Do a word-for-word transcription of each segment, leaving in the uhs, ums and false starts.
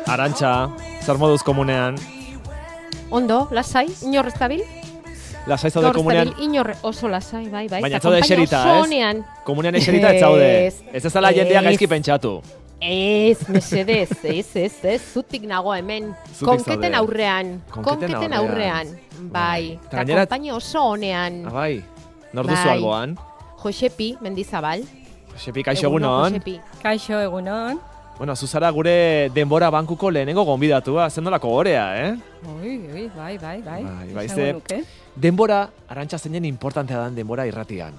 Arantxa, zer moduz komunean? Ondo, lasai, inor ez dabil? Lasai zaude komunean? Inor oso lasai, bai, bai. Baina ez zaude eserita, ez? Komunean eserita ez zaude. Ez ez dela jendea gaizki pentsatu. Ez, mesedez, ez, ez, ez, zutik nago hemen. Konketen aurrean, konketen aurrean. Bai, eta konpaina oso honean. Ah, bai, nor duzu alboan? Josepi, Mendizabal. Josepi, kaixo egunon. Kaixo egunon. Bueno, zuzara gure denbora bankuko lehenengo gonbidatua, zendolako gorea, eh? Oi, oi, bai, bai, bai. Bai, bai, ze, denbora, Arantxa zeinen importantea dan denbora irratian.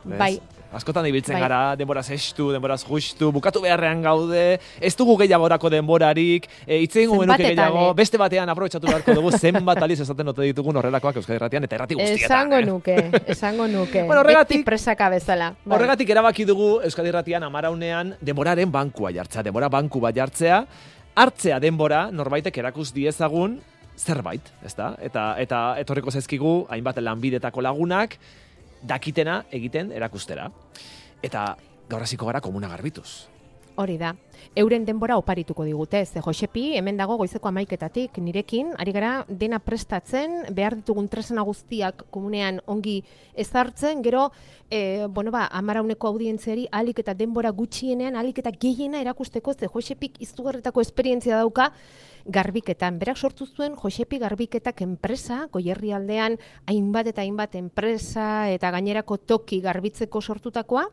Bai. Askotan ibiltzen bai. Gara, denboraz estu, denboraz justu, bukatu beharrean gaude, ez dugu gehiagorako denborarik, hitze egingo genuke gehiago, eh? Beste batean aprobetxatu beharko dugu, zenbat aliz esaten ote ditugun horrelakoak Euskadi Irratian eta irrati guztietan. Esango nuke, esango nuke. Bueno, horregatik, beti presaka bezala. Bai. Horregatik erabaki dugu Euskadi Irratian amaraunean denboraren bankua jartzea, denbora banku bat jartzea, hartzea denbora norbaitek erakus diezagun zerbait, ezta? Eta, eta etorriko zaizkigu hainbat lanbidetako lagunak, dakitena egiten erakustera. Eta gaur hasiko gara komuna garbituz. Hori da. Euren denbora oparituko digute. Ze Josepi, hemen dago goizeko hamaiketatik nirekin, ari gara dena prestatzen, behar ditugun tresna guztiak komunean ongi ezartzen, gero, e, bueno ba, amarauneko audientziari ahalik eta denbora gutxienean, ahalik eta gehiena erakusteko, ze Josepik izugarretako esperientzia dauka, garbiketan. Berak sortu zuen Josepi Garbiketak enpresa, Goierri aldean hainbat eta hainbat enpresa eta gainerako toki garbitzeko sortutakoa.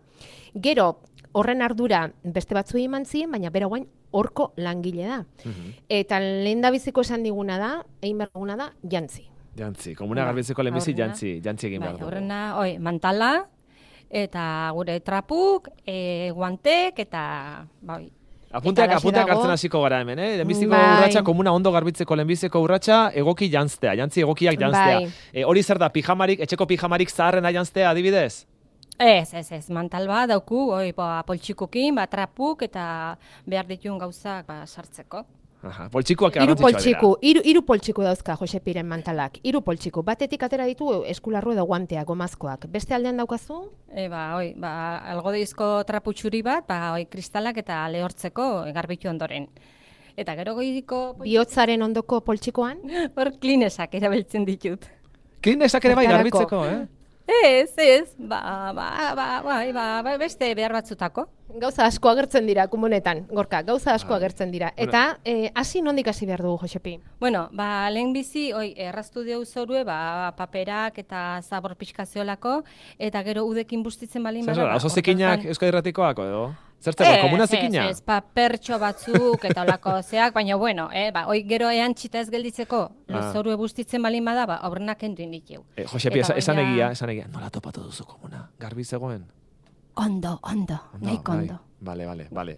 Gero, horren ardura beste batzuei eman zien, baina bera guain horko langile da. Uh-huh. Eta lehendabiziko esan diguna da, egin behar duguna da, jantzi. Jantzi, komuna garbitzeko lehenbizi jantzi, jantzi egin behar dugu. Horrena, oi, mantala, eta gure trapuk, e, guantek, eta bai. Apunteak, apunteak hartzen hasiko gara hemen, eh? Lehenbiziko bai. Urratxa, komuna ondo garbitzeko lehenbiziko urratxa, egoki jantztea, jantzi egokiak jantztea. Bai. E, hori zer da, pijamarik, etxeko pijamarik zaharrena jantztea, adibidez? Ez, ez, ez, mantal bat dauku, oi, ba, poltsikukin, ba, trapuk, eta behar dituen gauzak ba, sartzeko. Aha, poltsikuak iru poltsiku, iru, iru poltsiku dauzka Josepiren mantalak, iru poltsiku. Batetik atera ditu eskularru edo guanteak, gomazkoak. Beste aldean daukazu? E, ba, oi, ba, algodeizko traputxuri bat, ba, oi, kristalak eta lehortzeko garbitu ondoren. Eta gero goidiko... Bihotzaren ondoko poltsikoan? Hor klinesak erabiltzen ditut. Klinesak ere bai garbitzeko, eh? Ez, ez, ba, ba, ba, ba, ba, beste behar batzutako. Gauza asko agertzen dira, komunetan, Gorka, gauza asko agertzen dira. Eta, hasi nondik hasi behar dugu, Josepi? Bueno, ba, lehen bizi, oi, erraztu deu zorue, ba, paperak eta zabor pixkaziolako, eta gero udekin bustitzen balin bada. Zer, oso zikinak Euskadi Irratikoak, edo? Zertzeko, komuna zikina? Ez, ez, papertxo batzuk eta olako zeak, baina bueno, eh, ba, oi gero ean txita ez gelditzeko, ah. Zorue bustitzen balin bada, ba, aurrenak enduin ditu. Eh, Josepi, esan, esan egia, esan egia. Nola topatu duzu komuna? Garbi zegoen? Ondo, ondo, nahiko ondo. Bale, bale, bale.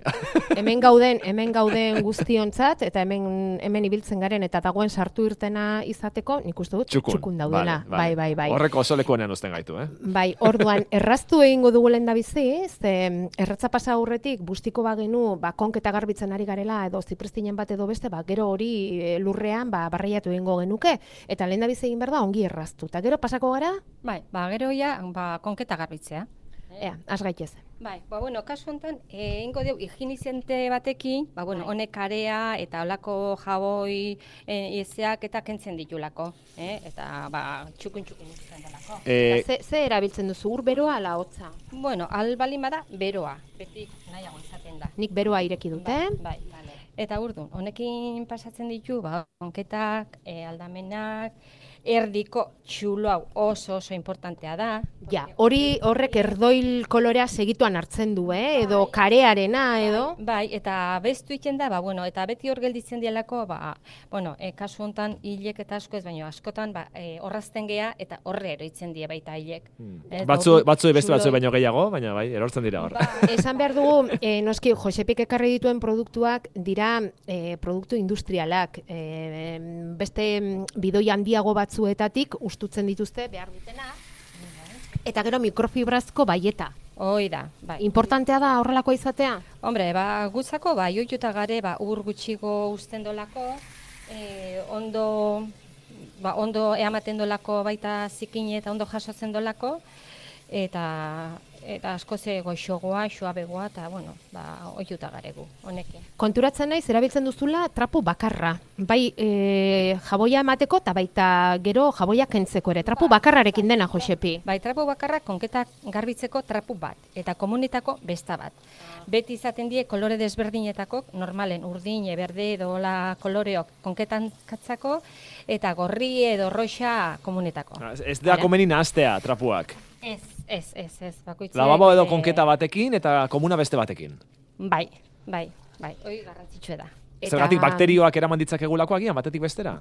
Hemen gauden, hemen gauden guztiontzat, eta hemen hemen ibiltzen garen, eta dagoen sartu irtena izateko, nik uste dut, txukun, txukun daudela. Vale, vale. Bai, bai, bai. Horreko oso lekuenean uzten gaitu, eh? Bai, orduan, erraztu egingo dugu lehen da bizi, ze erratza pasa aurretik, bustiko bagenu, ba, konketa garbitzen ari garela, edo zipristinen bat edo beste, ba, gero hori lurrean, ba, barreiatu egingo genuke, eta lehen da bizi egin behar da, ongi erraztu. Eta gero pasako gara? Bai, ba, gero ja, ba, konketa garbitzea. Ea, az gaitez. Bai, ba, bueno, kasu honetan, egingo dugu higienizante batekin, ba, bueno, honek area eta olako jaboi ezeak eta kentzen ditulako, eh? Eta, ba, txukun-txukun izan delako. Eh, ze, ze erabiltzen duzu, ur beroa ala hotza? Bueno, albalin bada, beroa, beti nahiago izaten da. Nik beroa ireki dut, eh? Bai, bai. Eta urdun, honekin pasatzen ditu, ba, konketak, e, aldamenak, erdiko txulo hau oso oso importantea da. Ja, hori horrek erdoil kolorea segituan hartzen du, eh? Edo bai. Karearena, edo? Bai, eta bestu iten da, ba, bueno, eta beti hor gelditzen dielako, ba, bueno, e, kasu honetan hilek eta asko ez, baina askotan, ba, e, horrazten gea eta horre eroitzen die baita hilek. Hmm. Ez, batzu, batzu beste batzu baino gehiago, baina bai, erortzen dira hor. Ba, esan behar dugu, e, noski, Josepik ekarri dituen produktuak dira e, produktu industrialak, e, beste bidoi handiago batzuetatik ustutzen dituzte behar dutena, eta gero mikrofibrazko baieta. Hoi da, bai. Importantea da horrelako izatea? Hombre, ba, gutzako, ba, joituta gare, ba, ur gutxigo usten dolako, e, ondo, ba, ondo eamaten dolako baita zikine eta ondo jasotzen dolako, eta eta asko ze goxogoa, suabegoa, eta, bueno, ba, oiuta garegu, honekin. Konturatzen naiz, erabiltzen duzula trapu bakarra. Bai, e, jaboia emateko, eta baita gero jaboia kentzeko ere. Trapu bakarrarekin dena, Josepi. Bai, trapu bakarra konketak garbitzeko trapu bat, eta komunetako besta bat. Beti izaten die kolore desberdinetako, normalen urdin, berde edo la koloreok konketan katzako, eta gorri edo roxa komunetako. Ez da komeni nahaztea trapuak. Ez, ez, ez, ez, bakoitzak. Lavabo edo konketa batekin eta komuna beste batekin. Bai, bai, bai, hori garrantzitsua da. Zergatik bakterioak eraman ditzakegulako agian, batetik bestera?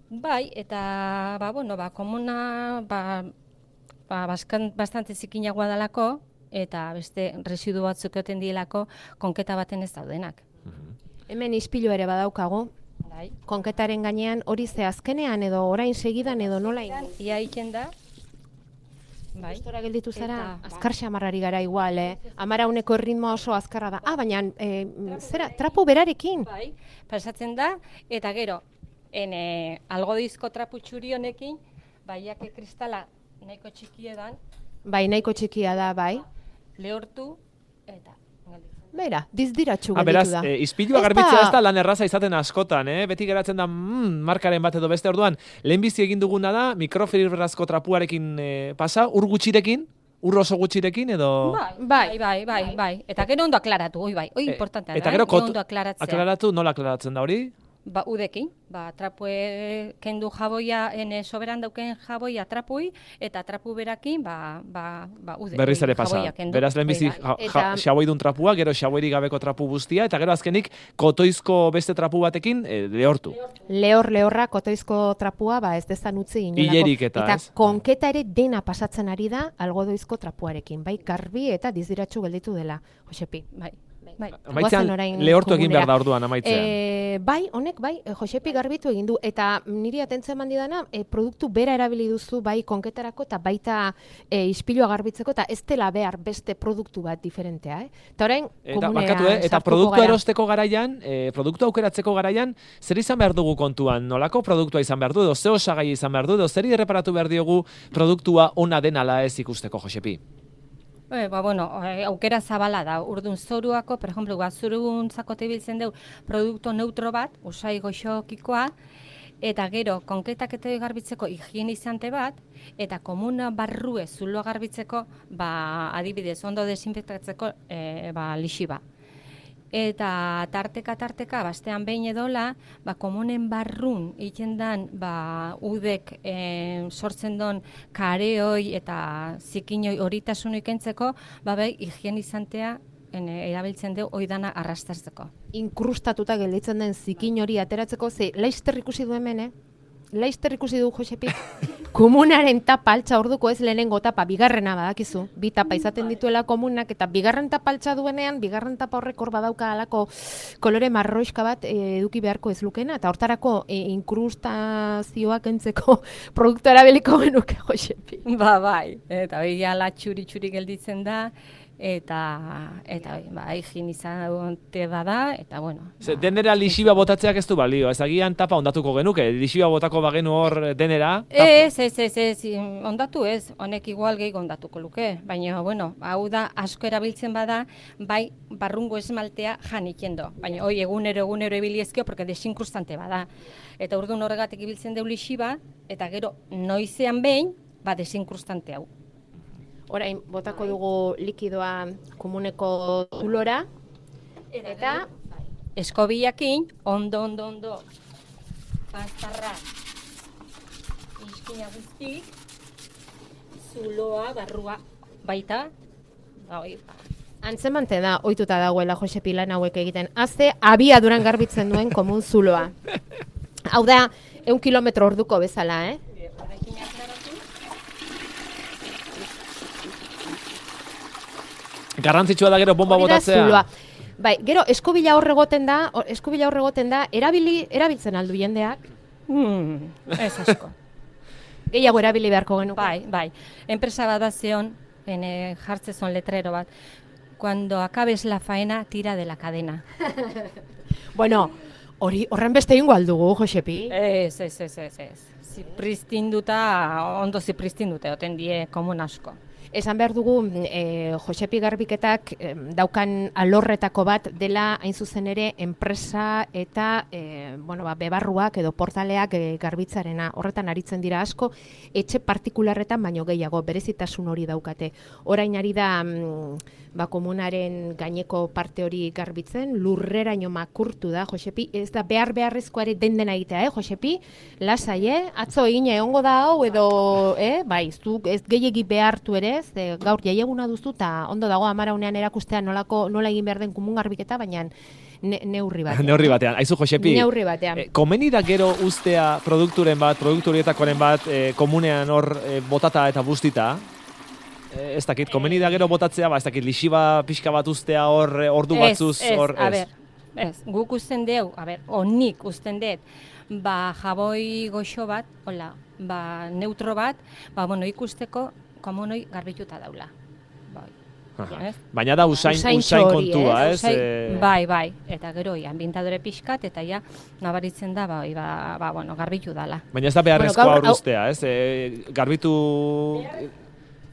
Bai, eta, ba, bueno, ba, komuna, ba, ba, bastante zikinagoa dalako, eta beste residu batzuk egoten dielako konketa baten ez daudenak. Hemen ispilu ere badaukagu. Bai. Konketaren gainean hori ze azkenean edo orain segidan edo nola egin. Ia egiten da. Bai. Gustora gelditu zara, Eta, azkar xamarrari gara igual, eh? Amara uneko ritmo oso azkarra da. Ah, baina, eh, zera, trapu berarekin. Bai, pasatzen da, eta gero, en, eh, algodizko trapu txuri honekin, baiak kristala nahiko txikiedan, Bai, nahiko txikia da, bai. lehortu, eta Beira, dizdiratxu Ah, gelditu beraz, da. e, ispilua garbitzea ez da lan erraza izaten askotan, eh? Beti geratzen da mm, markaren bat edo beste orduan. Lehenbizi egin duguna da, mikrofibrazko trapuarekin e, pasa, ur gutxirekin, ur oso gutxirekin edo... Bai, bai, bai, bai, bai. Eta gero ondo aklaratu, oi bai, oi E, importantea eta da, gero eh? kot- ondo aklaratzea. Aklaratu, nola aklaratzen da hori? Ba, udekin, ba, trapue kendu jaboia, ene soberan dauken jaboia trapui, eta trapu berakin, ba, ba, ba ude. Berriz ere pasa. jaboia kendu. Beraz, lehenbizi Hori da. ja, Eta- ja, xaboidun trapua, gero xaboirik gabeko trapu guztia, eta gero azkenik kotoizko beste trapu batekin e, lehortu. Lehor, lehorra, kotoizko trapua, ba ez dezan utzi inolako. Hilerik eta, eta ez? konketa ere dena pasatzen ari da algodoizko trapuarekin. Bai, garbi eta dizdiratxu gelditu dela, Josepi. Bai, bai. Amaitzean, Goazen orain lehortu egin komunera. behar da orduan, amaitzean. E, bai, honek, bai, e, Josepi garbitu egin du, eta niri atentzen eman didana, e, produktu bera erabili duzu, bai, konketarako, eta baita e, ispilua garbitzeko, eta ez dela behar beste produktu bat diferentea, eh? Eta orain, Eta, komunera barkatu, eh? Eta sartuko produktu gara. erosteko garaian, e, produktu aukeratzeko garaian, zer izan behar dugu kontuan? Nolako produktua izan behar du, edo ze osagai izan behar du, edo zer erreparatu behar diogu produktua ona den ala ez ikusteko, Josepi? E, ba, bueno, e, aukera zabala da, urdun zoruako, per ejemplo, ba, zuruntzako tebiltzen deu produktu neutro bat, usai goxokikoa, eta gero, konketak eta garbitzeko higienizante bat, eta komuna barrue zuloa garbitzeko, ba, adibidez, ondo desinfektatzeko e, ba, lixiba. Eta tarteka tarteka, bastean behin edola, ba, komunen barrun egiten dan, ba, udek e, sortzen don kareoi eta zikinoi horitasun ikentzeko, ba, bai, higienizantea en, erabiltzen dugu oidana arrastatzeko. Inkrustatuta gelditzen den zikin hori ateratzeko, ze laizter ikusi du hemen, eh? Laizter ikusi du Josepi. Komunaren tapa altza orduko ez lehenengo tapa, bigarrena badakizu. Bi tapa izaten dituela komunak, eta bigarren tapa altza duenean, bigarren tapa horrek hor badauka alako kolore marroiska bat e, eduki beharko ez lukena, eta hortarako e, inkrustazioak kentzeko produktu erabiliko genuke Josepi. Ba, bai, eta hori ala txuri-txuri gelditzen da, eta, eta ba, higienizante bada, eta bueno. Ze, denera lixiba botatzeak ez du balio, ez agian tapa ondatuko genuke, lixiba botako bagenu hor denera. tapa- Ez, ez, ez, ez, ondatu ez, honek igual gehi ondatuko luke, baina, bueno, hau da asko erabiltzen bada, bai barrungo esmaltea jan ikendo, baina hoi egunero egunero ibiliezkio, porque desinkrustante bada. Eta urdun horregatik ibiltzen deu lixiba, eta gero noizean behin, ba desinkrustante hau. Orain, botako dugu likidoa komuneko zulora, eta Eskobiakin, ondo, ondo, ondo, pastarra, iskina guztik, zuloa, barrua, baita, ba, oi, ba. antzemante da, ohituta dagoela Josepi lan hauek egiten. Azte, abiaduran garbitzen duen komun zuloa. Hau da, eun kilometro orduko bezala, eh? Horrekin aklaratu. Garrantzitsua da gero bomba Hori da botatzea. zuloa. Bai, gero eskobila hor egoten da, hor- eskobila hor egoten da, erabili, erabiltzen aldu jendeak. Hmm, ez asko. Gehiago erabili beharko genuke. Bai, bai. Enpresa bat da zeon, ene, jartzezon letrero bat. Cuando acabes la faena, tira de la cadena. Bueno, hori horren beste ingo aldugu, Josepi. Ez, ez, ez, ez, ez. Zipristinduta, ondo zipristinduta, oten die komun asko. Esan behar dugu, e, Josepi Garbiketak e, daukan alorretako bat dela hain zuzen ere enpresa eta e, bueno, ba, bebarruak edo portaleak e, garbitzarena. Horretan aritzen dira asko, etxe partikularretan baino gehiago, berezitasun hori daukate. Orain ari da mm, ba, komunaren gaineko parte hori garbitzen, lurreraino makurtu da, Josepi, ez da behar beharrezkoa ere den dena egitea, eh, Josepi? Lasai, eh? Atzo egin egongo da hau edo, eh? Bai, zuk ez gehiegi behartu ere, ez, e, gaur jaieguna duzu eta ondo dago amaraunean erakustea nolako nola egin behar den komun garbiketa, baina ne, neurri batean. neurri batean. Aizu, Josepi, neurri batean. E, komeni da gero ustea produkturen bat, produkturietakoren bat, e, komunean hor e, botata eta bustita, e, ez dakit, komeni da gero botatzea, ba, ez dakit, lixiba pixka bat ustea hor, e, ordu batzuz, hor, ez, a ber, ez, guk usten deu, a ber, onik usten dut, ba, jaboi goxo bat, hola, ba, neutro bat, ba, bueno, ikusteko, komunoi garbituta daula. Bai. Ez? Baina da usain, Usaintxo usain hori, kontua, ez? ez? Usain- E, Bai, bai, eta gero, ambientadore pixkat, eta ja, nabaritzen da, bai, ba, ba, bueno, garbitu dala. Baina ez da beharrezkoa Bueno, hor gaur, hau- ustea, ez? E, garbitu...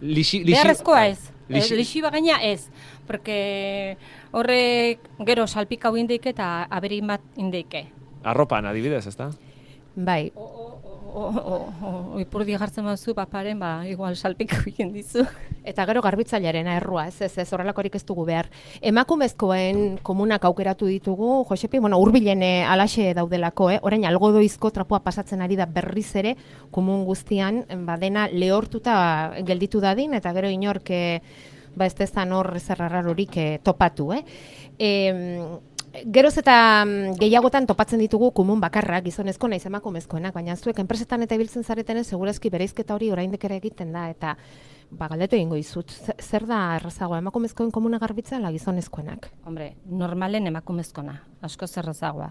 Lixi, lixi, Beharrezkoa ez. Lixi- Lixi bagaina ez. Porque horrek gero salpikau indeike eta aberin bat indeike. Arropan, adibidez, ez da? Bai, Ipurdi jartzen bazu, paparen, ba, igual salpikau egin dizu. eta gero garbitzailearena errua, ez, ez, ez, horrelakorik ez dugu behar. Emakumezkoen komunak aukeratu ditugu, Josepi, bueno, hurbilen eh, alaxe daudelako, eh? Orain algodoizko trapua pasatzen ari da berriz ere, komun guztian, ba, dena lehortuta gelditu dadin, eta gero inork, eh, ba, ez dezan hor zerrarrarorik eh, topatu, eh? E, Geroz eta mm, gehiagotan topatzen ditugu komun bakarrak, gizonezko naiz emakumezkoenak, baina zuek enpresetan eta ibiltzen zaretenez segurazki bereizketa hori oraindik ere egiten da, eta ba, galdetu egingo dizut, ze- zer da errazagoa, emakumezkoen komuna garbitzea ala gizonezkoenak? Hombre, normalen emakumezkona, asko zerrazagoa.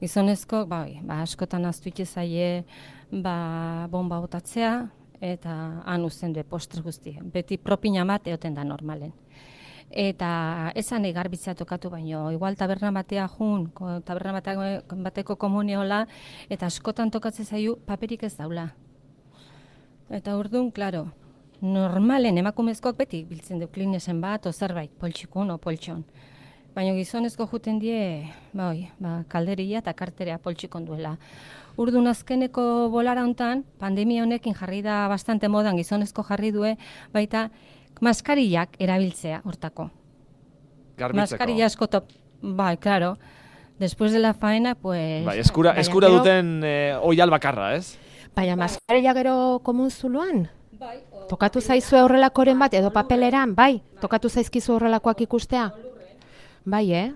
Gizonezko, bai, ba, askotan aztu zaie, ba, bomba botatzea, eta han uzten du postre guzti. Beti propina bat eoten da normalen. Eta esan garbitzea tokatu baino, igual taberna batea jun, ko- taberna batea- bateko komuniola, eta askotan tokatzen zaio paperik ez daula. Eta orduan, claro, normalen emakumezkoak beti biltzen du klinesen bat, o zerbait, poltsikun o poltson. Baina gizonezko juten die, bai, ba, kalderia eta karterea poltsikon duela. Urdun azkeneko bolara hontan, pandemia honekin jarri da bastante modan, gizonezko jarri due, baita maskarillak erabiltzea hortako. Garbitzeko. Maskarilla asko top, bai, claro. Después de la faena, pues... Bai, eskura, Baina eskura gero- duten e, oial bakarra, ez? Baina maskarilla gero komun zuluan? Bai, o- Tokatu zaizue horrelakoren bat, edo papeleran, bai? Tokatu zaizkizu horrelakoak ikustea? Bai, eh?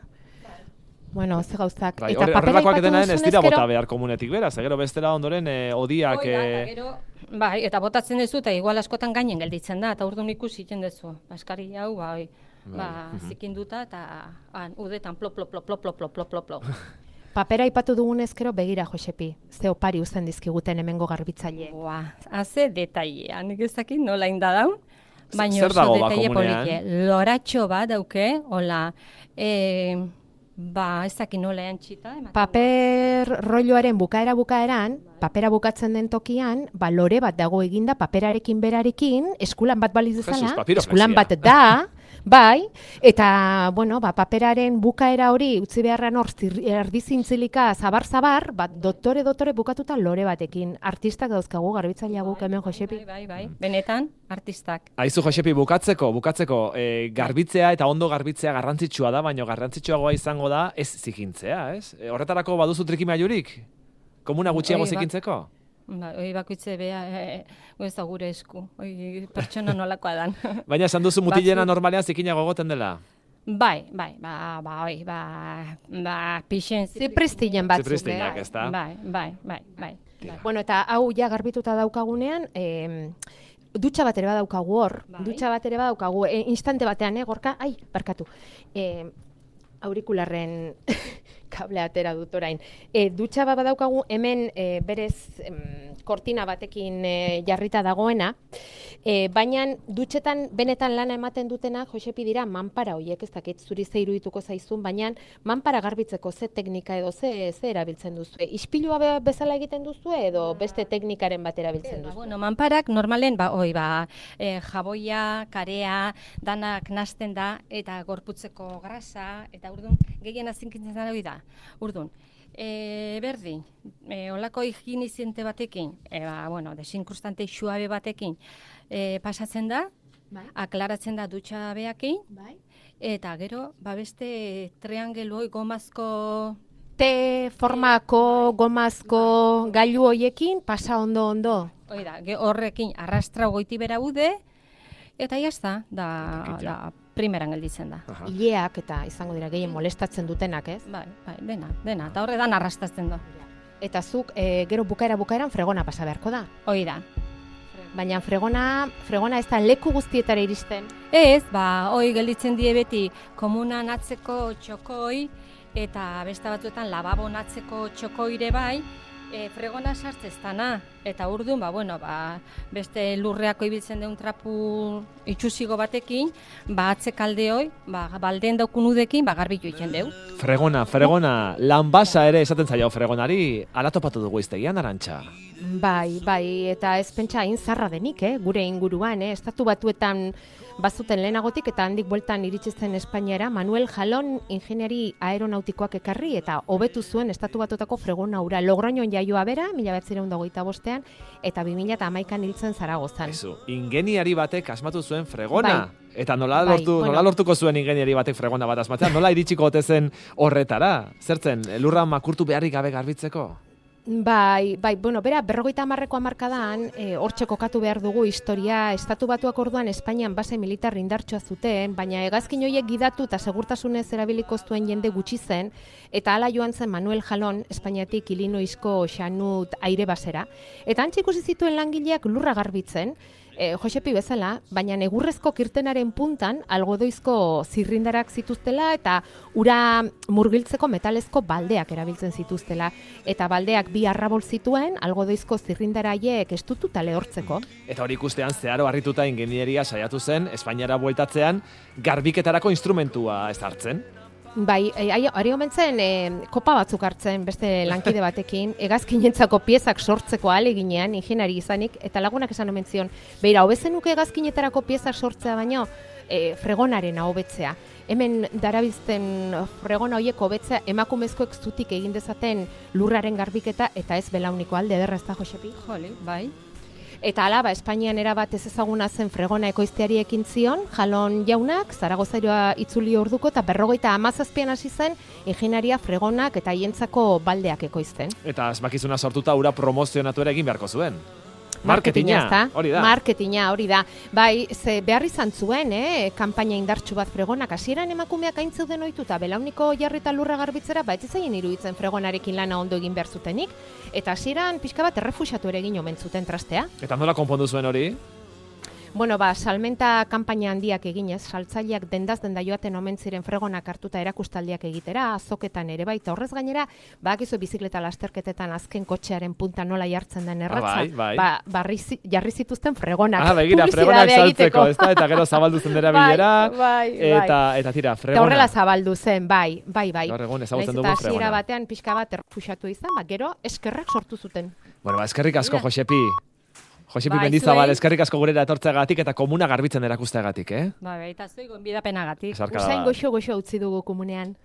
Bueno, ze gauzak. Bai, Eta hor- papera horrelakoak aipatu denaren ez duzunez dira gero- bota behar komunetik beraz, gero bestela ondoren e, odiak... Hoi da, e, eta gero, bai, eta botatzen duzu, eta igual askotan gainen gelditzen da, eta orduan ikusi egiten duzu. Baskari hau, bai, ba, zikinduta, eta han, udetan plop, plop, plop, plop, plop, plop, plop, plop, plop. Papera aipatu dugunez gero begira, Josepi. Ze opari uzten dizkiguten hemengo garbitzaileek. Boa, haze detailea, nik ez dakit nola inda daun, baina Zer oso dago ba detaile komunean? polikie. Loratxo bat dauke, hola, e, ba, ez dakit nola antxita. Paper rolloaren bukaera bukaeran, papera bukatzen den tokian, ba lore bat dago eginda paperarekin berarekin, eskulan bat baliz Jesus, bezala, papiroflexia. eskulan bat da, bai, eta, bueno, ba, paperaren bukaera hori utzi beharran hor zir- erdizintzilika zabar-zabar, ba, doktore doktore bukatuta lore batekin. Artistak dauzkagu garbitzailea guk hemen, Josepi. Bai, bai, bai, benetan, artistak. Aizu, Josepi, bukatzeko, bukatzeko, e, garbitzea eta ondo garbitzea garrantzitsua da, baina garrantzitsuagoa izango da ez zikintzea, ez? E, horretarako baduzu trikimailurik? Komuna gutxiago Oi, ba- zikintzeko? Ba, hoi bakoitze bea, e, e, ez da gure esku, hoi pertsona nolakoa dan. Baina esan duzu mutilena Batzuk- normalean zikinago egoten dela. Bai, bai, ba, ba, hoi, ba, ba, pixen, Zipristilen batzuk, Zipristinak, eh? ezta? Bai, bai, bai, bai. bai. Bueno, eta hau ja garbituta daukagunean, eh, dutxa bat ere badaukagu hor, Bai. dutxa bat ere badaukagu, e, instante batean, eh, gorka, ai, barkatu, e, aurikularren kable atera dut orain. E, dutxa bat badaukagu hemen e, berez em, kortina batekin e, jarrita dagoena, e, baina dutxetan benetan lana ematen dutena, Josepi, dira manpara horiek, ez dakit zuri ze irudituko zaizun, baina manpara garbitzeko ze teknika edo ze, ze erabiltzen duzu. Ispilua be, bezala egiten duzu edo beste teknikaren bat erabiltzen duzu? Bueno, manparak normalen, ba, oi, ba, e, jaboia, karea, danak nasten da, eta gorputzeko grasa, eta urdun, gehien azinkintzen da hori da. Urdun, e, berdin, e, olako higieniziente batekin, e, ba, bueno, desinkrustante suabe batekin, e, pasatzen da, bai. Aklaratzen da dutxa beakin, bai. Eta gero, ba, beste triangeloi gomazko Te formako, gomazko gailu hoiekin pasa ondo ondo. Hoi da, horrekin arrastra goiti bera ude, eta jazta, da, da primeran gelditzen da. Aha. Ileak eta izango dira gehien molestatzen dutenak, ez? Bai, bai, dena, dena, eta horredan arrastatzen da. Eta zuk, e, gero bukaera bukaeran fregona pasa beharko da. Hoi da. Baina fregona, fregona ez da leku guztietara iristen. Ez, ba, hoi gelditzen die beti komunan atzeko txokoi, eta beste batzuetan lababon atzeko txokoire bai, e, fregona sartzeztana. Eta urdun, ba, bueno, ba, beste lurreako ibiltzen deun trapu itxusigo batekin, ba, atzekaldeoi, ba, balden daukun udekin, ba, garbitu iken deu. Fregona, fregona, lanbasa ere esaten zaio fregonari, ala topatu dugu iztegian, Arantxa? Bai, bai, eta ez pentsa hain zarra denik, eh, gure inguruan, eh, estatu batuetan bazuten lehenagotik eta handik bueltan iritsi zen Espainiara Manuel Jalón ingeniari aeronautikoak ekarri eta hobetu zuen estatu batuetako fregona hura. Logroñon jaioa bera, mila bederatziehun eta hogeita bostean, eta bi mila hamaikan hiltzen Zaragozan. Ezu, ingeniari batek asmatu zuen fregona. Bai. Eta nola, Bai, lortu, bueno. nola lortuko zuen ingeniari batek fregona bat asmatzea? Nola iritsiko ote zen horretara? Zertzen, lurra makurtu beharrik gabe garbitzeko? Bai, bai, bueno, bera, berrogeita hamarreko hamarkadan, e, hortxe kokatu behar dugu historia, estatu batuak orduan Espainian base militar indartsua zuten, baina hegazkin horiek gidatu eta segurtasunez erabiliko zuen jende gutxi zen, eta hala joan zen Manuel Jalón, Espainiatik Illinoisko Xanut aire basera, eta antxe ikusi zituen langileak lurra garbitzen, E, Josepi bezala, baina egurrezko kirtenaren puntan algodoizko zirrindarak zituztela eta ura murgiltzeko metalezko baldeak erabiltzen zituztela. Eta baldeak bi arrabol zituen algodoizko zirrindaraiek estututa lehortzeko. Eta hori ikustean zeharo harrituta ingenieria saiatu zen, Espainiara bueltatzean, garbiketarako instrumentua ez hartzen. Bai, ari omentzen, e, kopa batzuk hartzen beste lankide batekin, hegazkinentzako piezak sortzeko ahaleginean, ingeniari izanik, eta lagunak esan omen zion, beira, hobezenuke hegazkinetarako piezak sortzea baino, e, fregonaren hobetzea. Hemen darabiltzen fregona horiek hobetzea emakumezkoek zutik egin dezaten lurraren garbiketa, eta ez belauniko alde ederra ez da, Josepi? Joli, bai. Eta hala, ba, Espainian erabat ez ezaguna zen fregona ekoizteari ekin zion, Jalón jaunak, Zaragozairoa itzuli orduko, eta berrogeita hamazazpian hasi zen, ingeniaria fregonak eta hientzako baldeak ekoizten. Eta asmakizuna sortuta ura promozionatu ere egin beharko zuen. Marketina, hori da. Marketina, hori da. Bai, ze behar izan zuen, eh, kanpaina indartsu bat fregonak. Hasieran emakumeak hain zeuden ohituta belauniko jarrita lurra garbitzera, ba, ez zaien iruditzen fregonarekin lana ondo egin behar zutenik. Eta hasieran pixka bat errefuxiatu ere egin omen zuten trastea. Eta nola konpondu zuen hori? Bueno, ba, salmenta kanpaina handiak eginez, saltzaileak dendaz denda joaten omen ziren fregonak hartuta erakustaldiak egitera, azoketan ere baita horrez gainera, badakizu bizikleta lasterketetan azken kotxearen punta nola jartzen den erratza, ah, bai, bai. ba, barri, jarri zituzten fregonak. Ah, begira, fregonak saltzeko, ez da? Eta gero zabaldu zen dera bilera, bai, bai, eta, eta tira, fregona. Eta horrela zabaldu zen, bai, bai, bai. Gaur egun ezagutzen dugu Eta fregona. hasiera batean pixka bat errefuxiatu izan, ba, gero eskerrak sortu zuten. Bueno, ba, eskerrik asko, Josepi. Josepi Bai, Mendizabal, zuei. eskerrik asko gurera etortzeagatik eta komuna garbitzen erakusteagatik, eh? Bai, bai, eta zuei gonbidapenagatik. Esarkada Usain bat. goxo-goxo utzi dugu komunean.